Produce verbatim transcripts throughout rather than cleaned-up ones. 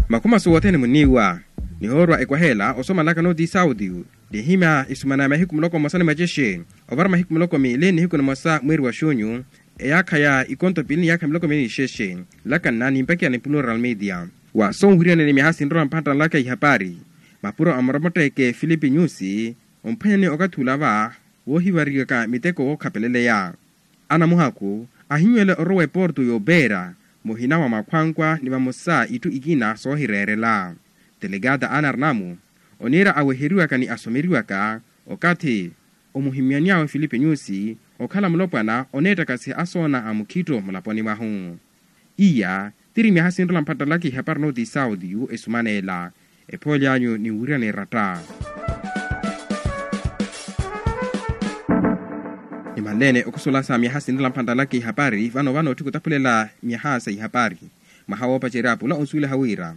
Makhuma suwa othene muniiwa nihoorwa ekwaheela osomalaka nooti sautiyu. Nihimya isumana ya mahiku muloko mmosa ni mwacexe ovara mahiku muloko miili nihiku nimosa mwiiri wa xunyu. Eyaakha ya ikonto piili ni yaakha miloko miili ni xexe. Lakanna nimpakiya ni plural media wa sonwiriyaneni myaha sinrola mphantta nlaka ihapari. Mapuro a moromotteke filipi nyusi omphwanyani okathi ula va woohivariyaka miteko wookhapeleleya. Anamuhaku ahinwele orowa eporto y'opeera muhina wa makhwankwa ni vamosa itthu ikina soohireerela. Delegada ana arnamu oniira aweheriwaka ni asomeriwaka okathi omuhimyani awe filipi nyusi okhala mulopwana oneettakasiha asoona a mukhitto mulaponi mwahu. Iya tiri myaha sinrola mphattalaka ihapari nooti sautiyu esumaneela. Ephooli anyu ninwiriyana eratta. Nimanleene okhusulasa myaha sinrola mphattalaka ihapari vano vano otthi khutaphulela myaha sa ihapari. Mwaha woopacerya pula onsuweliha wira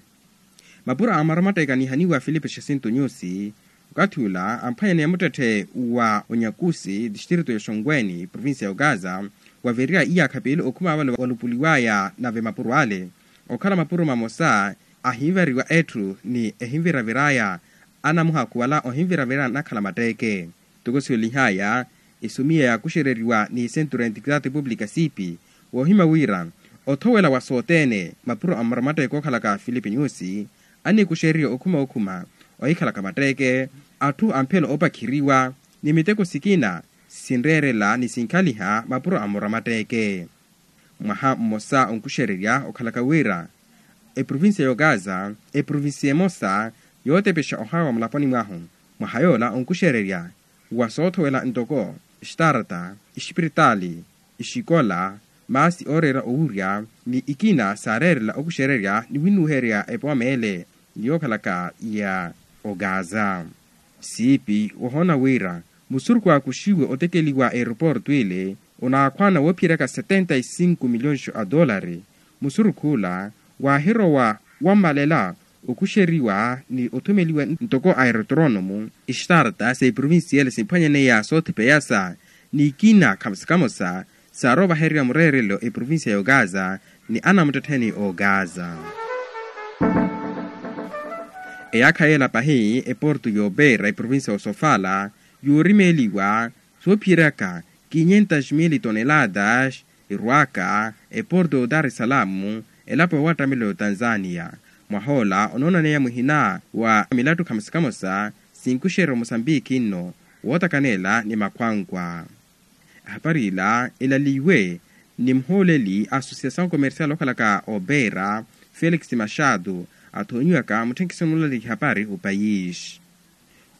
mapuro a maromatteka anihaniwa filipe xasinto nyusi okathi ula amphwanyane muttetthe wa onyakusi distritu ya xonweni provincia ya ogaza wavirya iyaakha piili okhuma vale walupuliwaya nave mapuro ale okhala mapuro mamosa ahinveriwa etthu ni ehinviraviraya anamuhakhu wala ohinviraviraya anakhala matteeke. Ntoko siwelihaya esumiya yaakuxereriwa ni centro ya integridade pública siipi woohimya wira othowela wa sothene mapuro a maromatteka ookhalaka filipi nyusi anikuxeriwa okhuma okhuma ohikhalaka matteeke atthu amphela oopakhiriwa ni miteko sikina sinreerela ni sinkhaliha mapuro a maromatteke. Mwaha mmosa onkuxererya okhalaka wira eprovincia ya ogaza eprovincia emosa yootepexa ohawa mulaponi mwahu. Mwaha yoola onkuxererya wa soothowela ntoko extarta expiritali exikola maasi ooreera owurya ni ikina saareerela okuxererya ni winnuherya epooma ele ni yookhalaka ya ogaza. Siipi wohoona wira musurukhu aakuxiwe otekeliwa aeroporto ile onaakhwaana woophiyeraka setenta y cinco milhões a dolari. Musurukhu ula waahirowa wammalela okuxeriwa ni othumeliwa ntoko aerotronomu extarta sa eprovincia ele simphwanyaneya soothipeyasa ni ikina khamosa khamosa saarovahererya mureerelo eprovincia ya ogaza ni anamuttettheni ogaza. Eyaakha yeela pahi eporto y'opeera eprovincia ya osofala yoorimeeliwa soophiyeraka quinhentas mil toneladas erwaka eporto ya odaresalamu elapo ya wattameloni ya otanzania. Mwahoola onoonaneya muhina wa milattu khamosa khamosa sinkuxerya omusambiki nno wootakanela ni makhwankwa. Ehapari ila elaliwe ni muhooleli a associação commercial okhalaka opeera felix machado athoonyiwaka mutthenkiso mulali ihapari opayisi.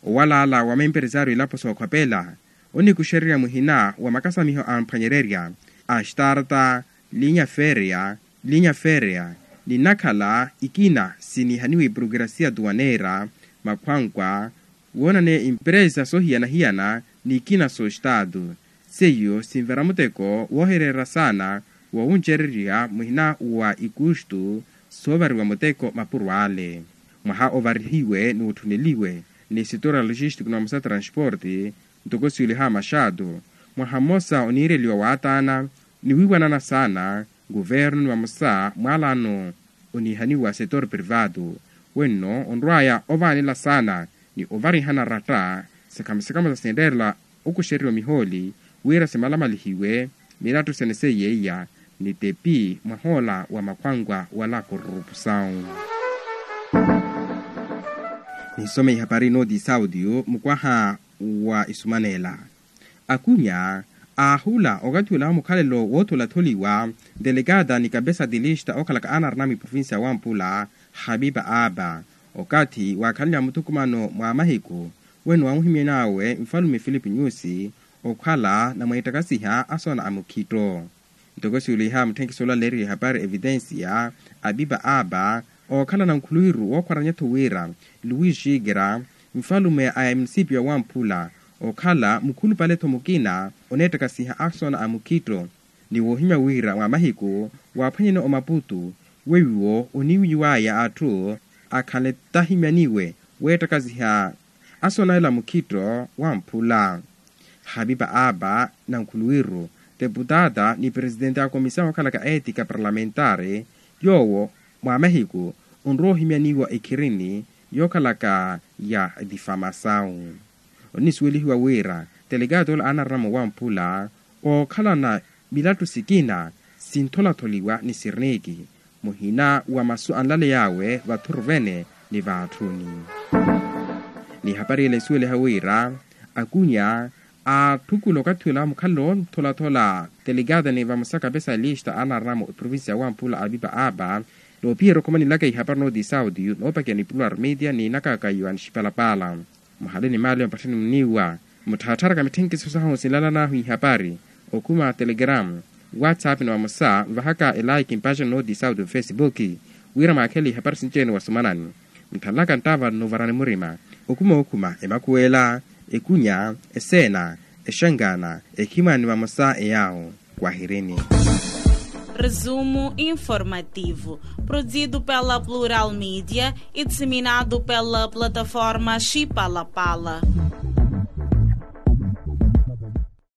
Owalaala wa maemperesario ilapo sookhopela onikuxererya muhina wa makasamiho amphwanyererya a starta linya ferea linya ferea ni nnakhala ikina sinihaniwa eprokirasia tuwaneera makhwankwa woonaneya impresa soohiyana-hiyana ni ikina soostatu seiyo sinvera muteko woohireera saana wowuncererya muhina wa ikustu soovariwa muteko mapuro ale. Mwaha ovarihiwe ni otthuneliwe ni sitora logistico ni vamosa transporte ntoko siweliha maxato mwaha mmosa oniireliwa waataana ni wiiwanana saana nkuvernu ni vamosa mwaalano onihaniwa setor privado wenno onrwaya ovaanela saana ni ovarihana ratta sikhamosikhamosa sinreerela okuxeriwa mihooli wira simalamalihiwe mirattu sene seiyeiya ni tepi mwahoola wa makhwankhwa wala korrupusau. Nisome ihapari nooti saudio mukwaha wa isumanela. Akunya aahula okathi ola mukhalelo wootholatholiwa delegada ni kabesa dilista okhalaka anarnami provincia wampula habiba aba okathi waakhaleliwa muthukumano mwa mahiku wene wamuhimyanawe nfalume filipi nyusi okhala na mweettakasiha asoona a mukhitto. Ntoko siweliha mutthenkiso olaleeriwa ehapari evidensia abiba aba ookhala na nkhuluwiru wookhwaranya-tho wira luwi xikira nfalume a emunisipiyo ya wamphula okhala mukhulupale-tho mukina oneettakasiha asoona a mukhitto ni woohimya wira mwa mahiku waaphwanyene omaputu weiwo oniiwiwaya atthu akhanle tahimyaniwe weettakasiha asoona ela mukhitto wamphula. Habiba aba na nkhuluwiru deputada ni presitente a komisao okhalaka etika parlamentari yoowo mwa mahiku onrowa ohimyaniwa ekhirini yookhalaka ya difamasawu. Onisuwelihiwa wira telekaato ola aanarina mowamphula ookhalana milattu sikina sintholatholiwa ni sirniki muhina wa masu anlaley'awe vathuru vene ni vaatthuni. Ni hapari ela isuweliha wira akunya aatthukula okathi ola mukhalelo ntholathola telekaato ni vamosa kapesa lista aanarina mu eprovincia ya wamphula apipa apa. Noopiherya okhomanilaka ihapari nooti sauti noopakiya ni plural media ni nakaka yohani xipalapala. Muhale ni maali ompatthani muniiwa mutthaattharaka mitthenkisiso sahu sinlalan'ahu ihapari okhuma telegram whatsapp ni vamosa nvahaka elaiki mpacani nooti sauti mufesipuki wira mwaakhele ihapari sinci-ene wasumanani. Mutthalaka nttaava nnuvarani murima okhuma okhuma emakhuwela ekunya eseena exangana ekhimwani vamosa eyaawo. Kwahirini. Resumo informativo, produzido pela Plural Media e disseminado pela plataforma Chipalapala.